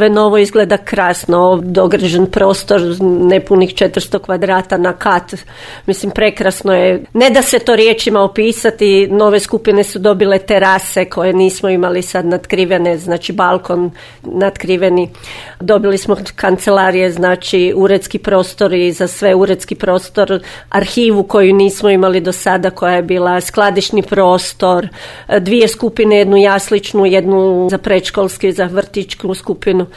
sve novo, izgleda krasno, dograđen prostor, nepunih 400 kvadrata na kat. Mislim, prekrasno je. Ne da se to riječima opisati, nove skupine su dobile terase koje nismo imali sad natkrivene, znači balkon natkriveni. Dobili smo kancelarije, znači uredski prostori za sve, uredski prostor, arhivu koju nismo imali do sada, koja je bila skladišni prostor, 2 skupine, jednu jasličnu, jednu za predškolski, za vrtićku skupinu.